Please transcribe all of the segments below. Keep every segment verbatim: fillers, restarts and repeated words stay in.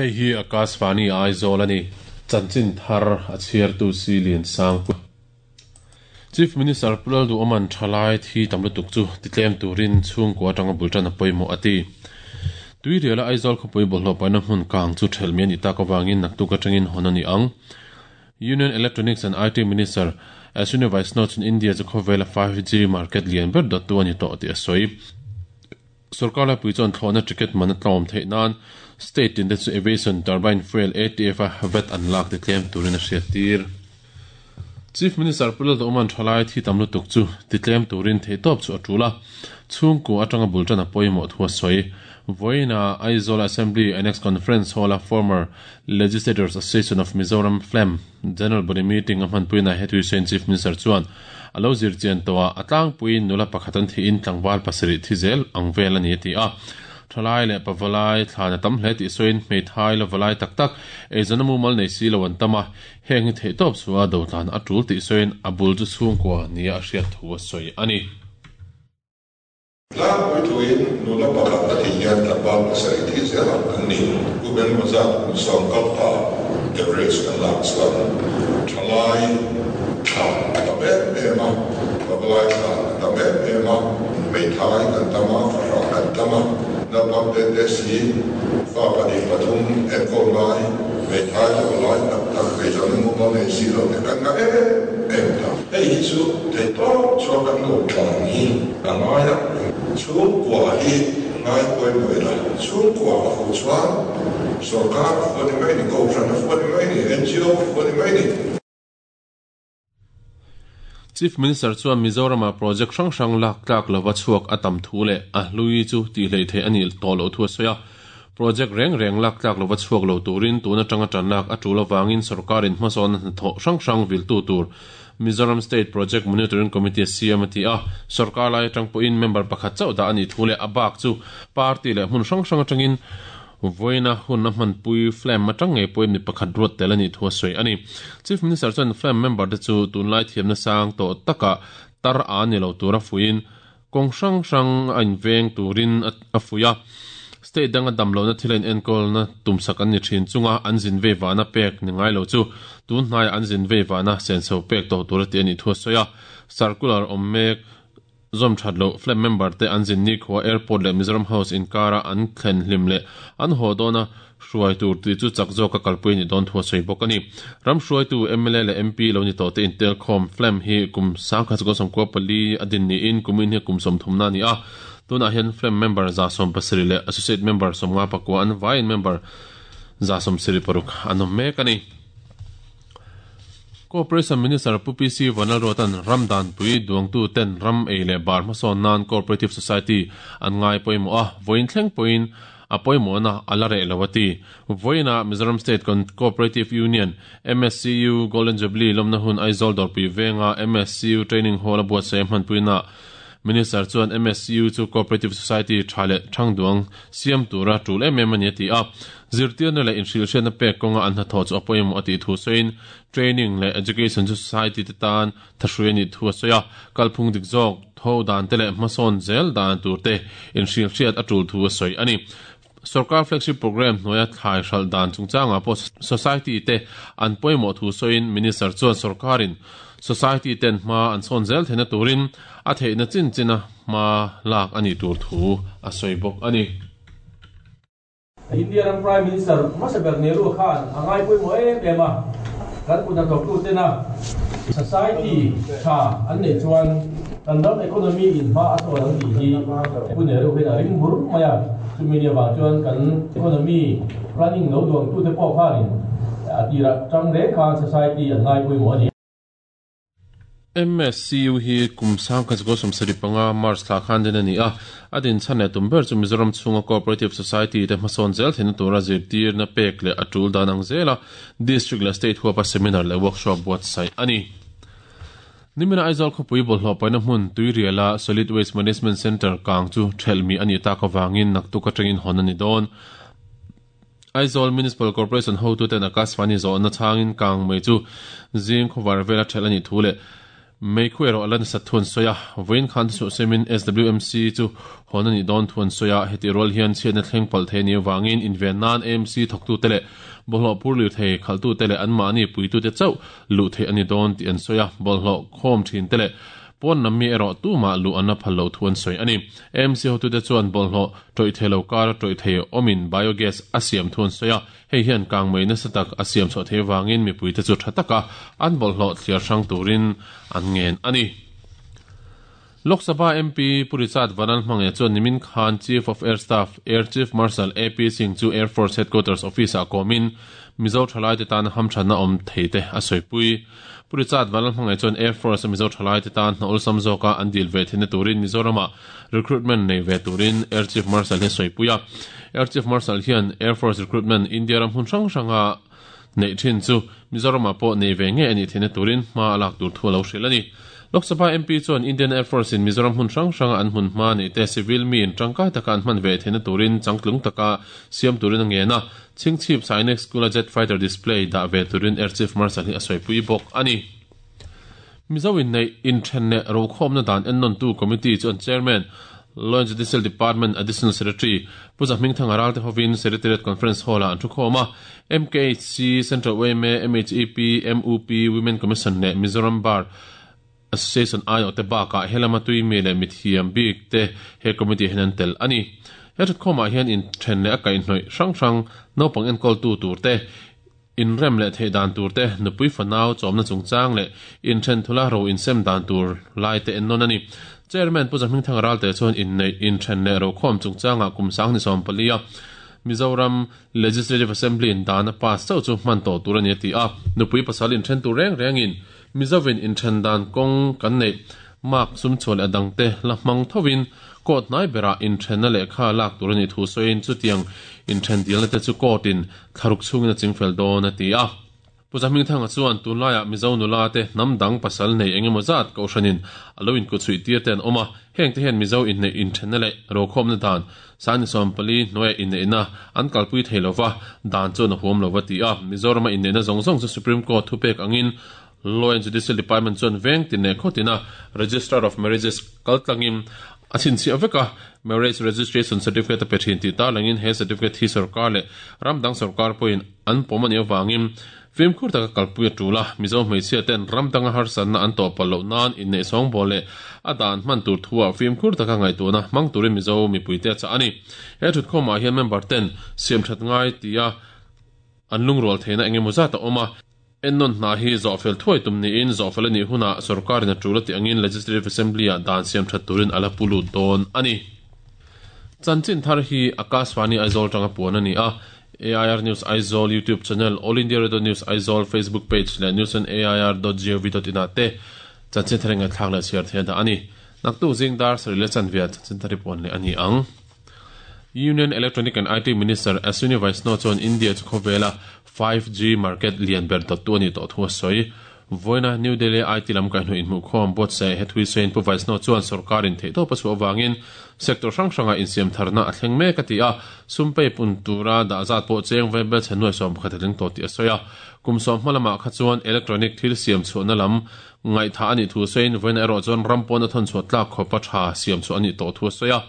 Hei hi Akashvani Aizawl ani. Chanchin thar a chhiartu si lian sang pu. Chief Minister Pulal du oman thalai thi tamlutuk chu titlem turin chhungkua atanga bultan a pawimawh ati. Tui riala Aizawl khawpui bawlhhlawh paihna hmun kang chu thelmi ani tak awangin naktuk atangin hawn ani ang. Union Electronics and I T Minister Ashwini Vaishnaw chun India chu khawvela five G market lian ber dawttu ani tawh tih a sawi. Sarkar laipui chuan thlawhna ticket man a tlawm theih nan state tin te chu aviation turbine fuel A T F a vat an lak ti tlem turin a hriat tir. Chief Minister Pulal Oman thalai thi tamlutuk chu titlem turin theitawp chu a tula. Chhungkua atanga bultan a pawimawh thu a sawi. Voina Aizawl Assembly Annex Conference Hall a former Legislators Association of Mizoram F L E M General Body Meeting a hmanpuina hetui sain Chief Minister chuan alo zir chian towa atlang puin nula pakhatan thi in tlangwal pasarih thi zel ang vel ani ti a. Thalai leh pavalai thlana tam hle tih sawiin hmeithai la valai tak tak eizawn a mumal nei si lo an tam a, heng hi theihtawp chua dotlan a tul tih sawiin a bul chu chhungkua nia a hriat thu a sawi ani. Tlangpui thuin nula pakhat a thi hian tlangval pasarih thi zel ang an ni. Kum engemaw zat kum sawm kal ta average kan lak chuan thalai thla a tam em em a, pavalai thla a tam em em a, hmeithai kan tam a, fahrah kan tam a, naupang te te si fa pahnih pathum enkawl ngai, hmeithai la valai tak tak eizawn a mumal nei si lo te kan ngah em em ta. Hei hi chu theihtawp chuan kan lo tlan hi a ngai a, chhungkua hi ngai pawimawh ila, chhungkua a fuh chuan sarkar a fuh a ni mai ni, kohhran a fuh a ni mai ni, N G O a fuh a ni mai ni. Chief Minister chuan Mizoram-a project hrang hrang lak tlak lova chhuak a tam thu leh a hlui chu tih hlei theih ani tawh loh thu a sawi a. Project reng reng lak tlak lova chhuak lo turin tuna tanga tan lak a tul awangin sarkarin hmasawn hnathawh hrang hrang viltu tur Mizoram State Project Monitoring Committee C M ati a, sarkar lai atang pawhin member pakhat chauh dah ani thu leh a bak chu party leh hmun hrang hrang atangin voina hun a hmanpui F L E M atang ngei pawhin mi pakhat ruat tel ani thu a sawi ani. Chief Minister chuan F L E M member te chu tunlai thiamna sang tawh taka tar a ni lo tur a fuiin kawng hrang hrang a inveng turin a fui a. State danga damlo na thil in enkawl na tumsak an ni thin chunga an zin ve wana pek ni ngai lo chu tun hnai an zin ve wana senso pek to tur ti ani thu a sawi a. Circular awm mek zom that lo F L E M member te an zin ni khuwa airport leh Mizoram House inkara an thlen hlim leh an haw dawna hruai tur ti chu chak zawk a kalpui ni dawn thu a sawi bawk ani. Ram hruai tu M L A leh M P lo ni tawh te intelkhawm F L E M hi kum sangkhat sakawt sawmkua pali a din niin kumin hi kum sawmthum na ani a. Tunah hian F L E M member za sawm pasarih leh associate member sawmnga pakua an vaiin member za sawm sarih paruk an awm mek ani. Corporation Minister Pu P C Vanlalruatan Ramdan pui duangtu ten ram ei leh bar hmasawn nan Cooperative Society an ngai pawimawh a, vawiin thleng pawhin a pawimawh na a la reh lo ati. Vawiina Mizoram State Cooperative Union M S C U Golden Jubilee lawmna hun Aizawl dawrpui venga M S C U Training Hall a buatsaih a hmanpuina Minister chuan M S C U chu Cooperative Society tha leh thangduang siam tura tul em em ani ati a. Zirtirna leh inhrilhriatna pek kawnga an hnathawh chu a pawimawh ati thu sawiin training leh education chu society te tan thahrui ani thu a sawi a. Kalphung dik zawk tho dan te leh hmasawn zel dan tur te inhrilhriat a tul thu a sawi ani. Sarkar flagship program hnuaia thlai hral dan chungchanga pawh society te an pawimawh thu sawiin Minister chuan sarkarin society ten hma an sawn zel theihna turin a theihna chin china hma lak ani tur thu a sawi bawk ani. Indian Prime Minister Masaber Nehru Khan angai pawimawh em em a, kan kut hnathawktu tena society tha an nei chuan kan ram economy in hma a sawn ang tih hi Pu Nehru hian a ring bur mai a. Chumi ni awang chuan kan economy planning lo duangtu te pawh khanin a tirah tang reng khan society an ngai pawimawh ani. M S C U hi kum sangkhat sakawt sawmsarih panga March thla khan din ani a, a din chhan leh tum ber chu Mizoram chhunga Cooperative Society te hmasawn zel theihna tura zirtirna pek leh a tul dan ang zela district leh state huapa seminar leh workshop buatsaih ani. Nimina Aizawl khawpui bawlhhlawh paihna hmun Tuiriala Solid Waste Management Centre kang chu thelmi ani tak awangin naktuk atangin hawn ani dawn. Aizawl Municipal Corporation hotu ten Akashvani zawhna changin kang mai chu zing khawvar vela thel ani thu leh Mei khu ero alan sa thun soya voin khan su semin S W M C chu honani don thun soya heti rol hian chen thleng pal the ni wangin inven nan A M C thoktu tele bolho purlu the khaltu tele an mani puitu te chau lu the ani don ti an soya bolho khom thin tele pon nammi ero tu ma lu anna phallo thuan soi ani M C hotu te chuan bolho toi thelo kar toi the omin biogas asiam thun soya hei hian kangmei na satak asiam so the wangin mi puite chu thataka an bolho thliar sang turin an ngen ani Lok Sabha M P Purichat Vanlalhmangaih chuan nimin khan Chief of Air Staff Air Chief Marshal A P Singh chu Air Force Headquarters Office a komin Mizo thalai te tan hamthana om theite a soipui Purichat Vanlalhmangaih chuan Air Force Mizo thalai te tan hna ulsam zawka an dil ve thina turin Mizorama recruitment nei ve turin Air Chief Marshal he soipuia Air Chief Marshal hian Air Force recruitment India ram hun hrang hranga nei thin chu Mizorama pawh nei ve nge ani thina turin hma alak tur thu lo hril ani Lok Sabha M P chuan Indian Air Force in Mizoram hun hrang hrang an hun hma nei te civil mi in tangkai taka an hman ve thina turin changtlung taka siam turin a ngena Chingchip Sainik School jet fighter display da ve turin Air Chief Marshal hi a soipui bawk ani Mizo in nei in thenne ro khom na dan ennon tu committee chuan chairman Law and Judicial Department Additional Secretary Puja Hmingthang aral te hovin Secretariat Conference Hall a an thu khoma M K H C Central W M A M H E P M U P Women Commission ne Mizoram Bar Association ayo te baka helama tui mi le mithiam bik te he committee henan tel ani he thut khoma hian in then le akai hnoi hrang hrang no pang en kol tu tur te in rem le thei dan tur te nupui fanau chomna chungchang le in then thula ro in sem dan tur lai te en non ani chairman Puja Hmingthang ral te chuan in nei in then le ro khom chungchanga kumsang ni som palia Mizoram Legislative Assembly in dana pass chau chu man to tur ani ti a nupui pasal in then tu reng reng in Mizovin in then dan kong kan nei mak sum chol adang te la mang thovin kot nai bera in then na le kha lak tur ani thu soin chutiang in then dil na te chu kotin tharuk chungin a chingfel don ati a Puja Hmingthang chuan tunlaya Mizo nula te namdang pasal nei engemaw zat ko hranin aloin ku chui tir ten oma heng te hian Mizo in nei in then na le ro khom na dan sani som pali noi in nei na an kalpui theilova dan chu na huam lova ti a Mizorama in nei na zong zong chu Supreme Court thupek angin Law and Judicial Department chuan veng tin ne khotina Registrar of Marriages kaltlangin achin chi aveka marriage registration certificate pe thin ti ta langin he certificate hi sarkar le ramdang sarkar poin an pomani awangin fimkhur taka kalpui tula Mizo hmeichhia ten ramdanga harsan na an to palo nan in nei song bole adan man tur thua fimkhur taka ngai tuna mang turin Mizo mipuite cha ani he thut khoma hian member ten siam that ngai tia an lungrol theina engemaw zata oma ennon na hi zofel thoi tum ni in zofel ani huna sarkar na tulati angin Legislative Assembly a dan siam that turin ala pulu don ani chanchin thar hi Akashvani Aizawl tanga puan ani a A I R News Aizawl YouTube channel All India Radio News Aizawl Facebook page le news on A I R dot gov dot in ate chanchin thar nga thak la share the da ani naktu jingdar sarile chanvia chanchin thari puan le ani ang Union Electronic and I T Minister Ashwini Vaishnaw chuan India chu khawvela five G market lian ber dot tu ani to thu soi voina New Delhi I T lam ka hnu in mu khom bot se he thui sein pu Vaishnaw chuan sarkar in thei to pachu awangin sector hrang hranga insiam tharna a thleng mek ati a sumpei pun tura da zat po cheng vebel chenoi som khatling to ti a soya kumsom hmalama kha chuan electronic thil siam chu na lam ngai tha ani thu sein voina ero chuan rampon a thon chu tlak khopa tha siam chu ani to thu soya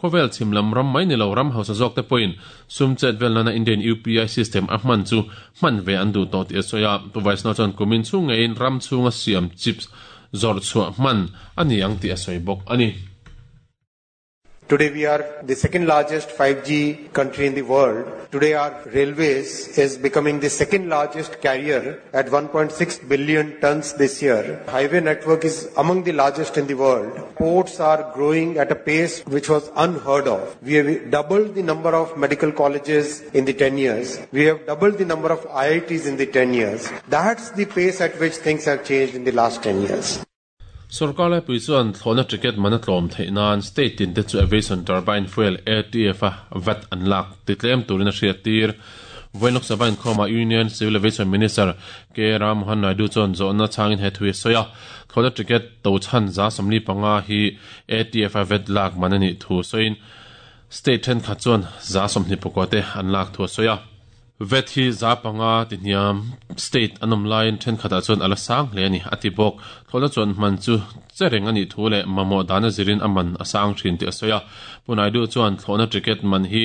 khovel chimlam ram mai ni lo ram hausa zawk te point sumchet vel na Indian U P I system a hman chu hman ve an du to ti soya tu Vaishnaw chuan kumin chu nge in ram chunga siam chips zor chua hman ani ang ti a soi bawk ani. Today we are the second largest five G country in the world. Today our railways is becoming the second largest carrier at one point six billion tons this year. Highway network is among the largest in the world. Ports are growing at a pace which was unheard of. We have doubled the number of medical colleges in the ten years. We have doubled the number of I I Ts in the ten years. That's the pace at which things have changed in the last ten years. Sarkar lai pui chuan thlawhna ticket mana tlawm theih nan state tin te chu aviation turbine fuel A T F a vat an lak ti tlem turin a hriat tir Voin Lok Sabha inkhawma Union Civil Aviation Minister K Rammohan Naidu chuan zawhna changin he thui soya thlawhna ticket to chan za samli panga hi A T F a vat lak man ani thu soin state then kha chuan za somni pukwa te an lak thu soya vet hi za panga ti hniam state anom lain then khata chuan ala sang hle ani ati bawk thlawhna chuan man chu chereng ani thu le mamo dana zirin aman asang thin ti asoya punaidu chuan thlawhna ticket man hi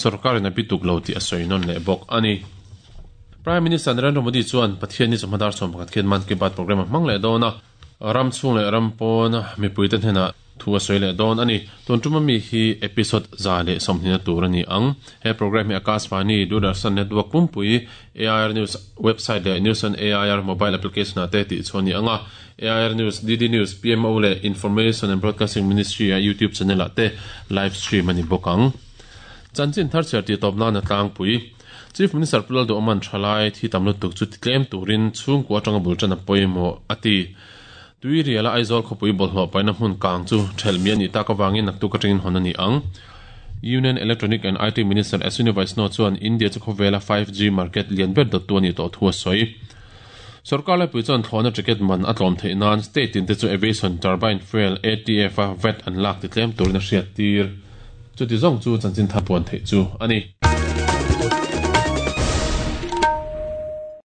sarkar na bituk lo ti asoi non le bawk ani Prime Minister Narendra Modi chuan Pathian ni chawhmadar sawm pakhat khian Man Ki Baat program hmang leh dawn a ram chhung leh ram pawn mipui te hnenah thu a sawi leh dawn ani tun tuma mi hi episode za leh sawmhnihna tur ani ang he program hi Akashvani Doordarshan Network pumpui A I R News website leh News on A I R mobile application ah te tih chhuah ni anga A I R News D D News P M O leh Information and Broadcasting Ministry a YouTube channel ah te live stream ani bawk ang chanchin thar chhiar tih tawp nan a tlangpui Chief Minister Pulal do Oman thalai thi tamlu tuk chu titlem turin chung kwa tanga bulchan a poimo ati tui riala Aizawl khopui bolhlo paina hmun kang chu thelmi ani ta ka wangin naktu ka tringin honani ang Union Electronic and I T Minister Ashwini Vaishnaw chuan India chu khawvela five G market lian ber dot tu ani to thua soi sarkar lai pui chuan thlawhna ticket man a tlawm theih nan state in te chu aviation turbine fuel A T F a vet an lak ti tlem turin a hriat tir chu ti zawng chu chanchin tha puan theih chu ani.